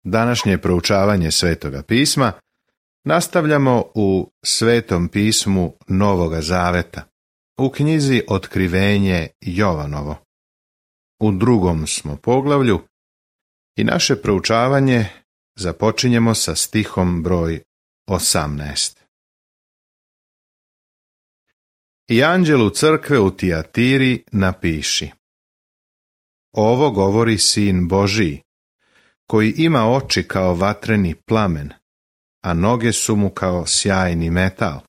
Današnje proučavanje Svetoga pisma nastavljamo u Svetom pismu Novoga Zaveta, u knjizi Otkrivenje Jovanovo. U 2. smo poglavlju i naše proučavanje započinjemo sa stihom broj 18. I anđelu crkve u Tijatiri napiši: Ovo govori Sin Božiji, koji ima oči kao vatreni plamen, a noge su mu kao sjajni metal.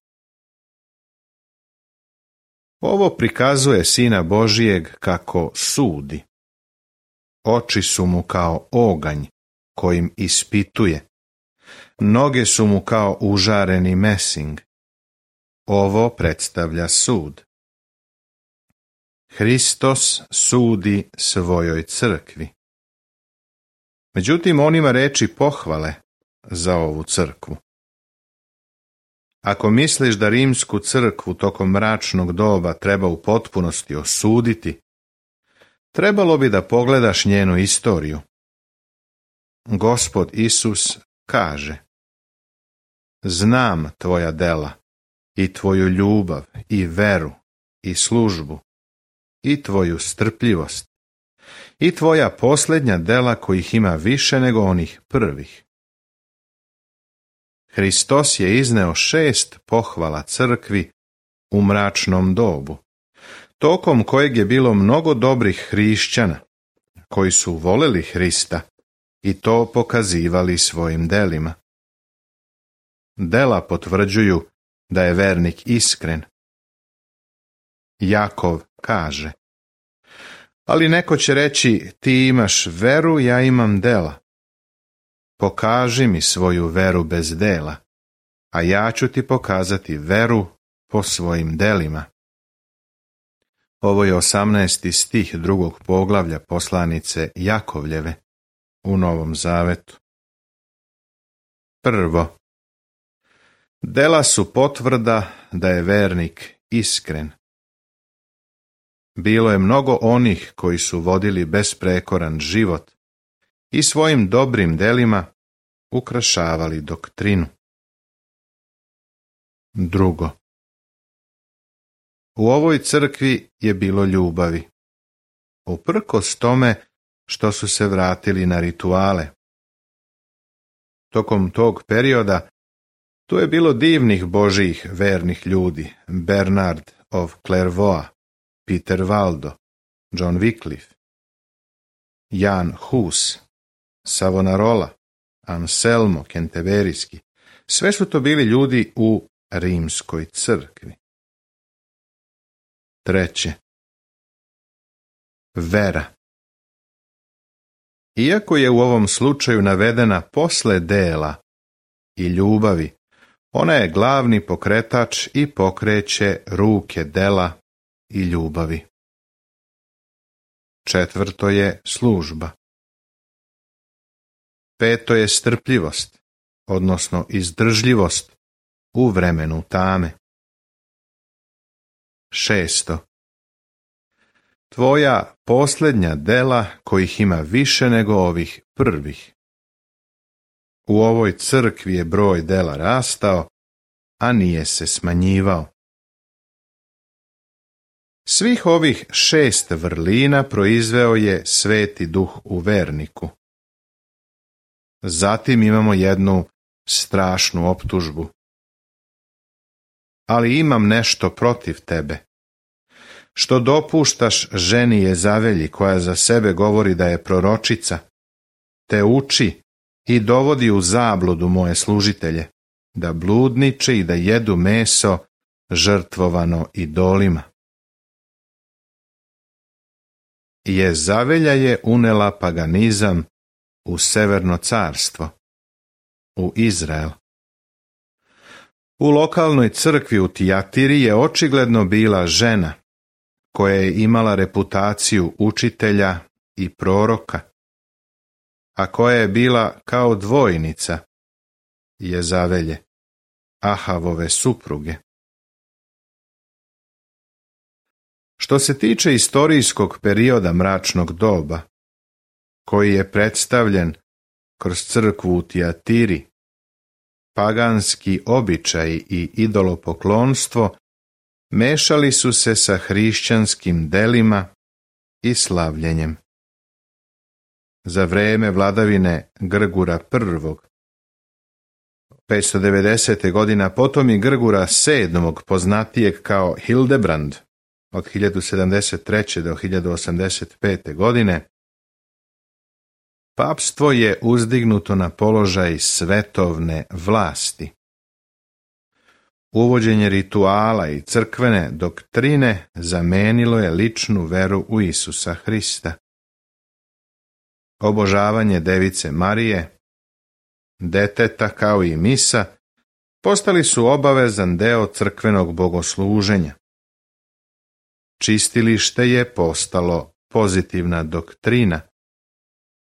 Ovo prikazuje Sina Božijeg kako sudi. Oči su mu kao oganj kojim ispituje. Noge su mu kao užareni mesing. Ovo predstavlja sud. Hristos sudi svojoj crkvi. Međutim, on ima reči pohvale za ovu crkvu. Ako misliš da rimsku crkvu tokom mračnog doba treba u potpunosti osuditi, trebalo bi da pogledaš njenu istoriju. Gospod Isus kaže: Znam tvoja dela i tvoju ljubav i veru i službu i tvoju strpljivost i tvoja posljednja dela kojih ima više nego onih prvih. Hristos je izneo 6 pohvala crkvi u mračnom dobu, tokom kojeg je bilo mnogo dobrih hrišćana, koji su voleli Hrista i to pokazivali svojim delima. Dela potvrđuju da je vernik iskren. Jakov kaže: Ali neko će reći, ti imaš veru, ja imam dela. Pokaži mi svoju veru bez dela, a ja ću ti pokazati veru po svojim delima. Ovo je 18. stih 2. poglavlja poslanice Jakovljeve u Novom Zavetu. Prvo, dela su potvrda da je vernik iskren. Bilo je mnogo onih koji su vodili besprekoran život i svojim dobrim delima ukrašavali doktrinu. Drugo, u ovoj crkvi je bilo ljubavi, uprkos tome što su se vratili na rituale. Tokom tog perioda tu je bilo divnih Božijih vernih ljudi: Bernard of Clairvaux, Peter Waldo, John Wycliffe, Jan Hus, Savonarola, Anselmo Kenteberijski. Sve su to bili ljudi u rimskoj crkvi. Treće, vera. Iako je u ovom slučaju navedena posle dela i ljubavi, ona je glavni pokretač i pokreće ruke dela i ljubavi. Četvrto je služba. Peto je strpljivost, odnosno izdržljivost u vremenu tame. Šesto, tvoja posljednja dela kojih ima više nego ovih prvih. U ovoj crkvi je broj dela rastao, a nije se smanjivao. Svih ovih 6 vrlina proizveo je Sveti Duh u verniku. Zatim imamo jednu strašnu optužbu. Ali imam nešto protiv tebe, što dopuštaš ženi Jezavelji, koja za sebe govori da je proročica, te uči i dovodi u zabludu moje služitelje, da bludniče i da jedu meso žrtvovano idolima. Jezavelja je unela paganizam u Severno carstvo, u Izrael. U lokalnoj crkvi u Tijatiri je očigledno bila žena koja je imala reputaciju učitelja i proroka, a koja je bila kao dvojnica Jezavelje, Ahavove supruge. Što se tiče istorijskog perioda mračnog doba, koji je predstavljen kroz crkvu u Tijatiri, paganski običaji i idolopoklonstvo mešali su se sa hrišćanskim delima i slavljenjem. Za vreme vladavine Grgura I. 590. godina, potom i Grgura VII. Poznatijeg kao Hildebrand od 1073. do 1085. godine, papstvo je uzdignuto na položaj svetovne vlasti. Uvođenje rituala i crkvene doktrine zamenilo je ličnu veru u Isusa Hrista. Obožavanje Device Marije, deteta kao i misa postali su obavezan deo crkvenog bogosluženja. Čistilište je postalo pozitivna doktrina,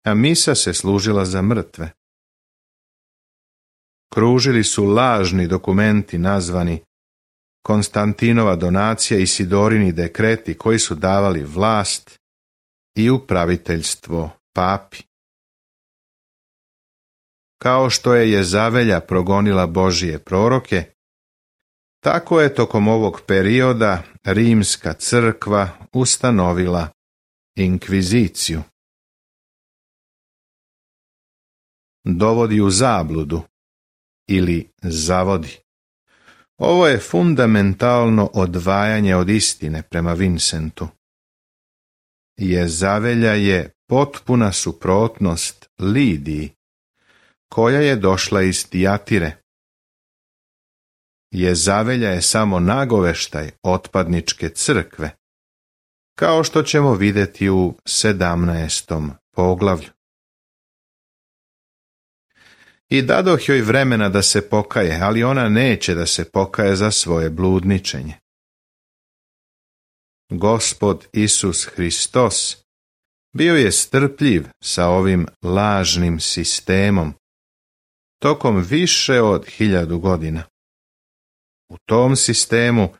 a misa se služila za mrtve. Kružili su lažni dokumenti nazvani Konstantinova donacija i Sidorini dekreti koji su davali vlast i upraviteljstvo papi. Kao što je Jezavelja progonila Božije proroke, tako je tokom ovog perioda Rimska crkva ustanovila inkviziciju. Dovodi u zabludu ili zavodi. Ovo je fundamentalno odvajanje od istine prema Vincentu. Jezavelja je potpuna suprotnost Lidiji, koja je došla iz Tijatire. Jezavelja je samo nagoveštaj otpadničke crkve, kao što ćemo vidjeti u 17. poglavlju. I dadoh joj vremena da se pokaje, ali ona neće da se pokaje za svoje bludničenje. Gospod Isus Hristos bio je strpljiv sa ovim lažnim sistemom tokom više od 1000 godina. U tom sistemu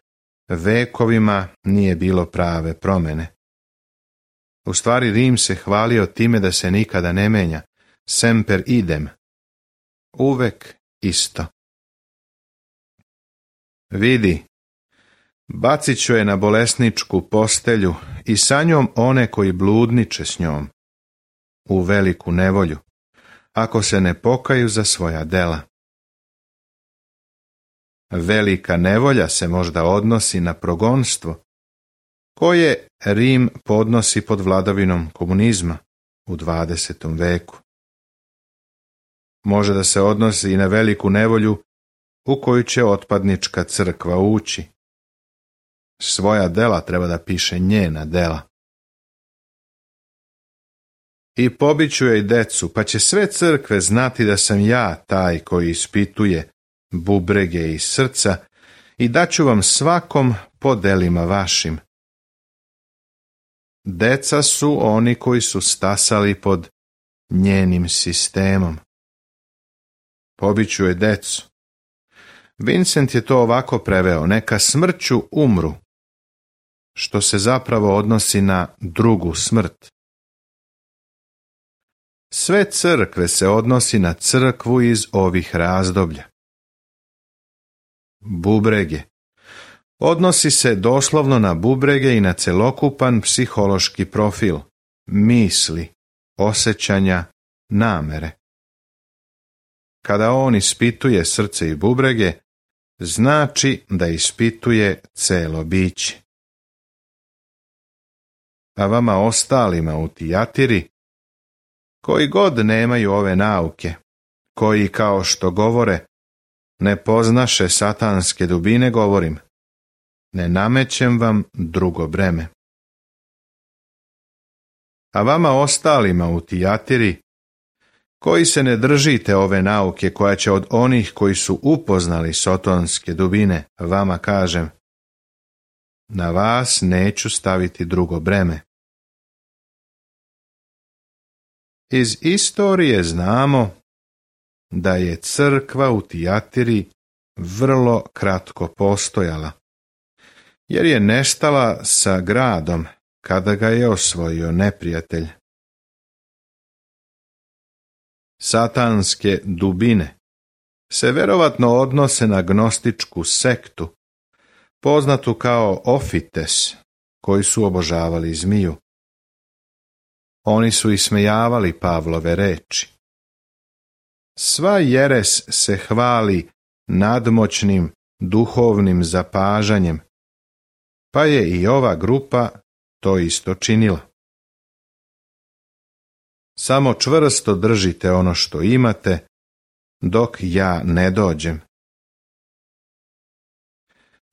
vekovima nije bilo prave promjene. U stvari Rim se hvalio time da se nikada ne menja, semper idem, uvek isto. Vidi, bacit ću je na bolesničku postelju i sa njom one koji bludniče s njom, u veliku nevolju, ako se ne pokaju za svoja dela. Velika nevolja se možda odnosi na progonstvo, koje Rim podnosi pod vladavinom komunizma u 20. veku. Može da se odnosi i na veliku nevolju u koju će otpadnička crkva ući. Svoja dela treba da piše njena dela. I pobiću joj decu, pa će sve crkve znati da sam ja taj koji ispituje bubrege i srca i daću vam svakom po delima vašim. Deca su oni koji su stasali pod njenim sistemom. Pobiću joj decu. Vincent je to ovako preveo, neka smrću umru, što se zapravo odnosi na drugu smrt. Sve crkve se odnosi na crkvu iz ovih razdoblja. Bubrege. Odnosi se doslovno na bubrege i na celokupan psihološki profil, misli, osjećanja, namere. Kada on ispituje srce i bubrege, znači da ispituje celo biće. A vama ostalima u Tijatiri, koji god nemaju ove nauke, koji kao što govore, ne poznaše satanske dubine, govorim, ne namećem vam drugo breme. A vama ostalima u Tijatiri, koji se ne držite ove nauke koja će od onih koji su upoznali sotonske dubine, vama kažem, na vas neću staviti drugo breme. Iz istorije znamo da je crkva u Tijatiri vrlo kratko postojala, jer je nestala sa gradom kada ga je osvojio neprijatelj. satanske dubine se verovatno odnose na gnostičku sektu, poznatu kao Ofites, koji su obožavali zmiju. Oni su ismejavali Pavlove reči. Sva jeres se hvali nadmoćnim duhovnim zapažanjem, pa je i ova grupa to isto činila. Samo čvrsto držite ono što imate, dok ja ne dođem.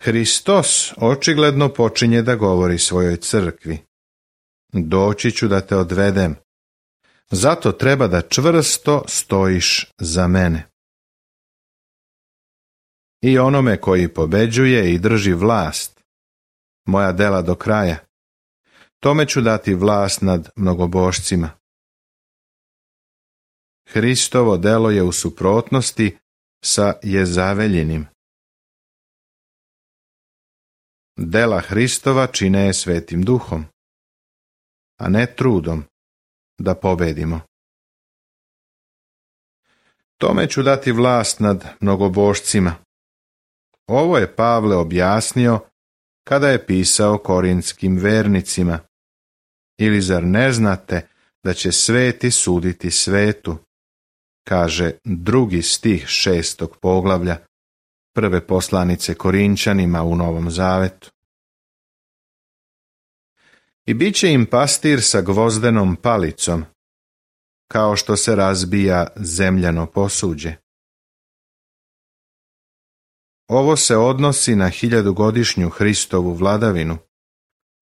Hristos očigledno počinje da govori svojoj crkvi. Doći ću da te odvedem, zato treba da čvrsto stojiš za mene. I onome koji pobeđuje i drži vlast, moja dela do kraja, tome ću dati vlast nad mnogobošcima. Hristovo delo je u suprotnosti sa Jezaveljinim. Dela Hristova čine je Svetim Duhom, a ne trudom da pobedimo. Tome ću dati vlast nad mnogobošcima. Ovo je Pavle objasnio kada je pisao korintskim vernicima. Ili zar ne znate da će sveti suditi svetu? Kaže 2. stih 6. poglavlja prve poslanice Korinčanima u Novom Zavetu. I bit će im pastir sa gvozdenom palicom, kao što se razbija zemljano posuđe. Ovo se odnosi na 1000-godišnju Hristovu vladavinu,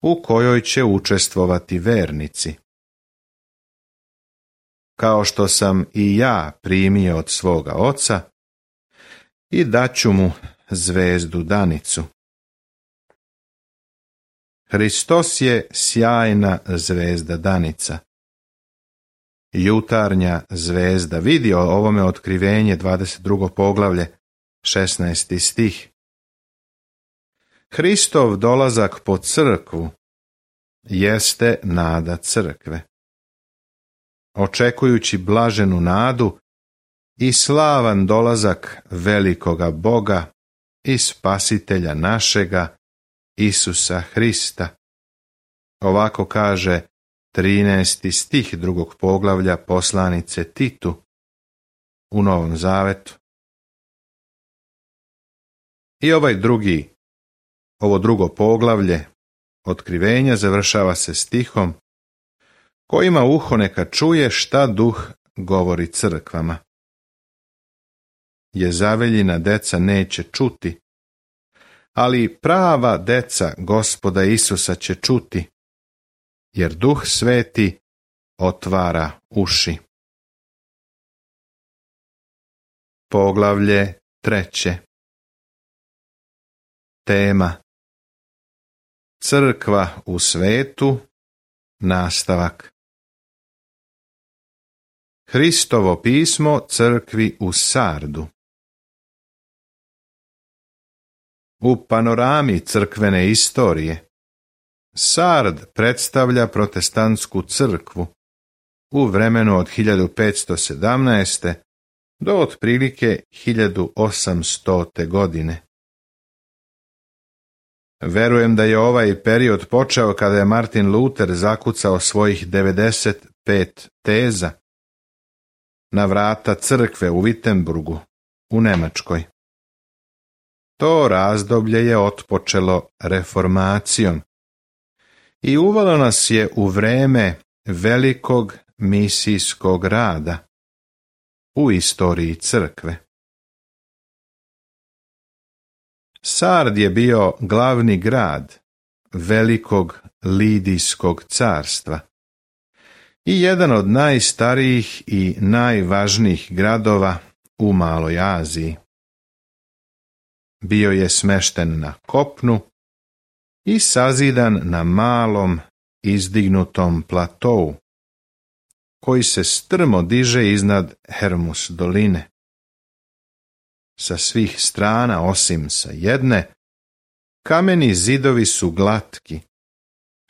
u kojoj će učestvovati vernici. Kao što sam i ja primio od svoga oca, i daću mu zvezdu danicu. Hristos je sjajna zvezda danica. Jutarnja zvezda. Vidi o ovome Otkrivenje 22. poglavlje 16. stih. Hristov dolazak po crkvu jeste nada crkve. Očekujući blaženu nadu i slavan dolazak velikoga Boga i Spasitelja našega, Isusa Hrista. Ovako kaže 13. stih 2. poglavlja poslanice Titu u Novom Zavetu. I ovo drugo poglavlje Otkrivenja završava se stihom: ko ima uho neka čuje šta Duh govori crkvama. Jezaveljina deca neće čuti, ali prava deca Gospoda Isusa će čuti, jer Duh Sveti otvara uši. Poglavlje 3. Tema: Crkva u svetu, nastavak. Hristovo pismo crkvi u Sardu. U panorami crkvene istorije, Sard predstavlja protestantsku crkvu u vremenu od 1517. do otprilike 1800. godine. Verujem da je ovaj period počeo kada je Martin Luther zakucao svojih 95 teza na vrata crkve u Wittenburgu u Nemačkoj. To razdoblje je otpočelo reformacijom i uvelo nas je u vreme velikog misijskog rada u istoriji crkve. Sard je bio glavni grad velikog Lidijskog carstva i jedan od najstarijih i najvažnijih gradova u Maloj Aziji. Bio je smešten na kopnu i sazidan na malom izdignutom platou, koji se strmo diže iznad Hermus doline. Sa svih strana, osim sa jedne, kameni zidovi su glatki,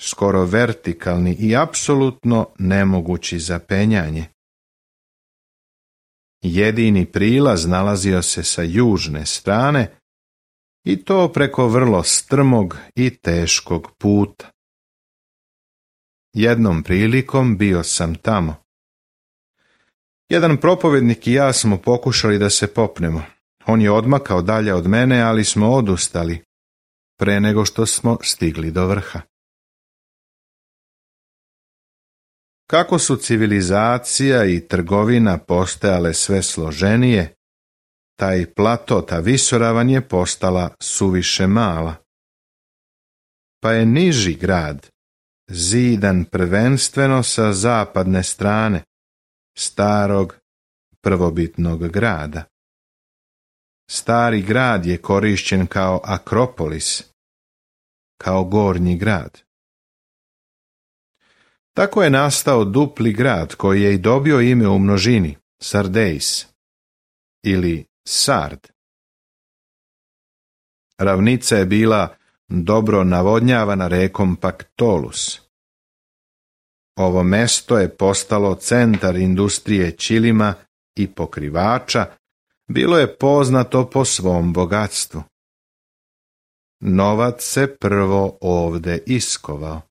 skoro vertikalni i apsolutno nemogući za penjanje. Jedini prilaz nalazio se sa južne strane i to preko vrlo strmog i teškog puta. Jednom prilikom bio sam tamo. Jedan propovednik i ja smo pokušali da se popnemo. On je odmakao dalje od mene, ali smo odustali pre nego što smo stigli do vrha. Kako su civilizacija i trgovina postajale sve složenije, taj plato, ta visoravan je postala suviše mala. Pa je niži grad zidan prvenstveno sa zapadne strane starog prvobitnog grada. Stari grad je korišćen kao Akropolis, kao gornji grad. Tako je nastao dupli grad koji je i dobio ime u množini, Sardeis ili Sard. Ravnica je bila dobro navodnjavana rekom Paktolus. Ovo mesto je postalo centar industrije ćilima i pokrivača, bilo je poznato po svom bogatstvu. Novac se prvo ovde iskovao.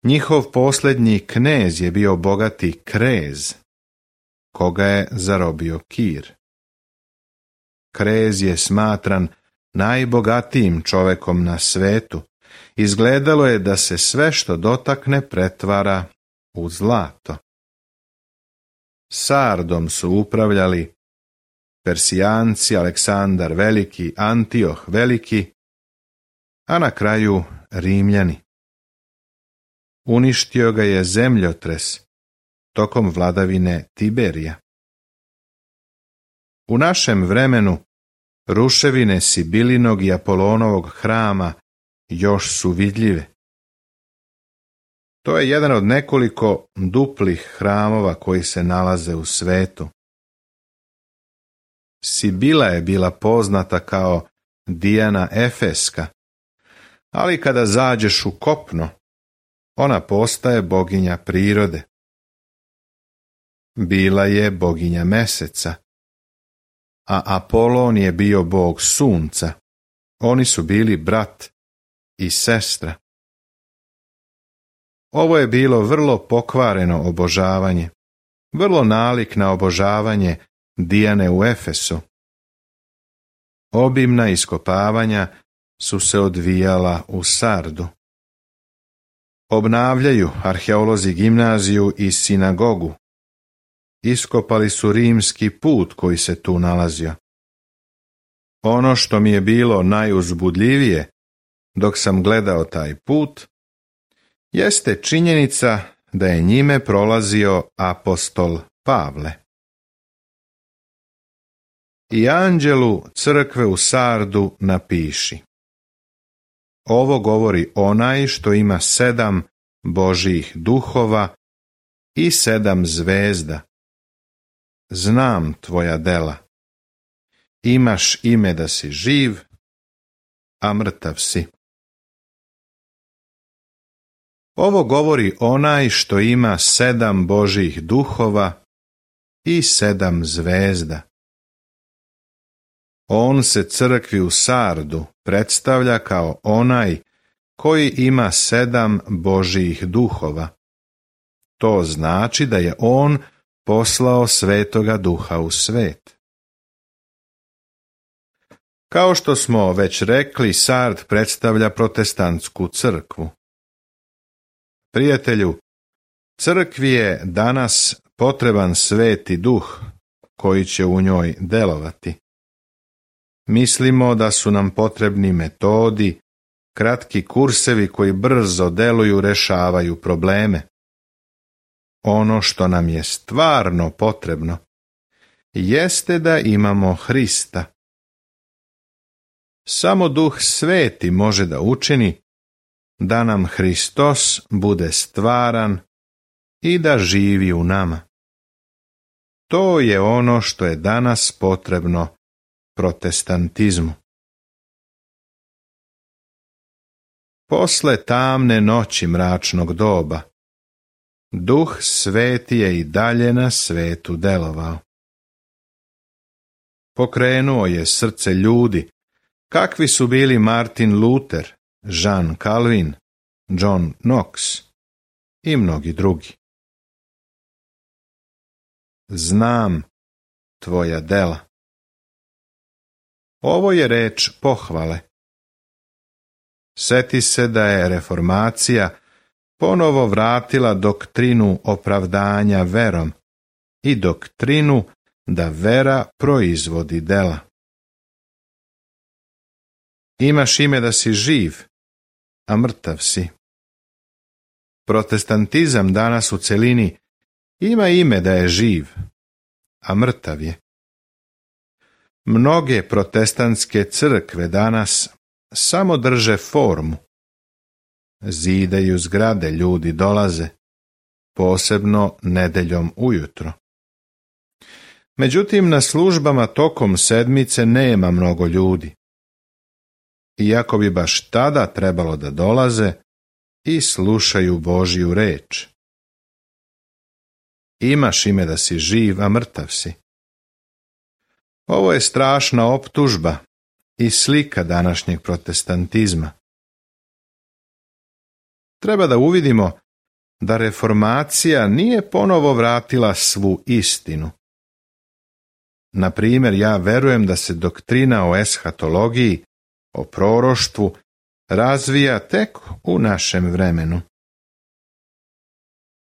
Njihov posljednji knez je bio bogati Krez, koga je zarobio Kir. Krez je smatran najbogatijim čovekom na svetu. Izgledalo je da se sve što dotakne pretvara u zlato. Sardom su upravljali Persijanci, Aleksandar Veliki, Antioh Veliki, a na kraju Rimljani. Uništio ga je zemljotres tokom vladavine Tiberija. U našem vremenu ruševine Sibilinog i Apolonovog hrama još su vidljive. To je jedan od nekoliko duplih hramova koji se nalaze u svetu. Sibila je bila poznata kao Dijana Efeska, ali kada zađeš u kopno, ona postaje boginja prirode. Bila je boginja meseca, a Apolon je bio bog sunca. Oni su bili brat i sestra. Ovo je bilo vrlo pokvareno obožavanje, vrlo nalik na obožavanje Dijane u Efesu. Obimna iskopavanja su se odvijala u Sardu. Obnavljaju arheolozi gimnaziju i sinagogu. Iskopali su rimski put koji se tu nalazio. Ono što mi je bilo najuzbudljivije dok sam gledao taj put, jeste činjenica da je njime prolazio apostol Pavle. I anđelu crkve u Sardu napiši: ovo govori onaj što ima 7 Božjih duhova i 7 zvezda. Znam tvoja dela. Imaš ime da si živ, a mrtav si. Ovo govori onaj što ima 7 Božjih duhova i 7 zvezda. On se crkvi u Sardu predstavlja kao onaj koji ima 7 Božjih duhova. To znači da je on poslao Svetoga Duha u svet. Kao što smo već rekli, Sard predstavlja protestantsku crkvu. Prijatelju, crkvi je danas potreban Sveti Duh koji će u njoj delovati. Mislimo da su nam potrebni metodi, kratki kursevi koji brzo deluju, rešavaju probleme. Ono što nam je stvarno potrebno jeste da imamo Hrista. Samo Duh Sveti može da učini da nam Hristos bude stvaran i da živi u nama. To je ono što je danas potrebno protestantizmu. Posle tamne noći mračnog doba, Duh Sveti je i dalje na svetu delovao. Pokrenuo je srce ljudi, kakvi su bili Martin Luther, Jean Calvin, John Knox i mnogi drugi. Znam tvoja dela. Ovo je reč pohvale. Seti se da je reformacija ponovo vratila doktrinu opravdanja verom i doktrinu da vera proizvodi dela. Imaš ime da si živ, a mrtav si. Protestantizam danas u celini ima ime da je živ, a mrtav je. Mnoge protestantske crkve danas samo drže formu. Zidaju zgrade, ljudi dolaze, posebno nedeljom ujutro. Međutim, na službama tokom sedmice nema mnogo ljudi. Iako bi baš tada trebalo da dolaze i slušaju Božju reč. Imaš ime da si živ, a mrtav si. Ovo je strašna optužba i slika današnjeg protestantizma. Treba da uvidimo da reformacija nije ponovo vratila svu istinu. Na primjer, ja verujem da se doktrina o eshatologiji, o proroštvu, razvija tek u našem vremenu.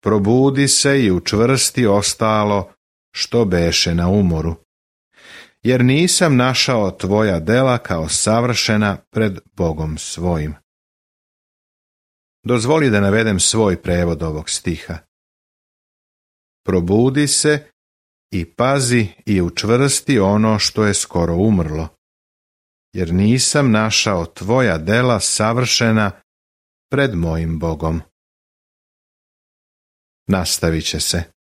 Probudi se i učvrsti ostalo što beše na umoru, jer nisam našao tvoja dela kao savršena pred Bogom svojim. Dozvoli da navedem svoj prevod ovog stiha. Probudi se i pazi i učvrsti ono što je skoro umrlo, jer nisam našao tvoja dela savršena pred mojim Bogom. Nastavit će se.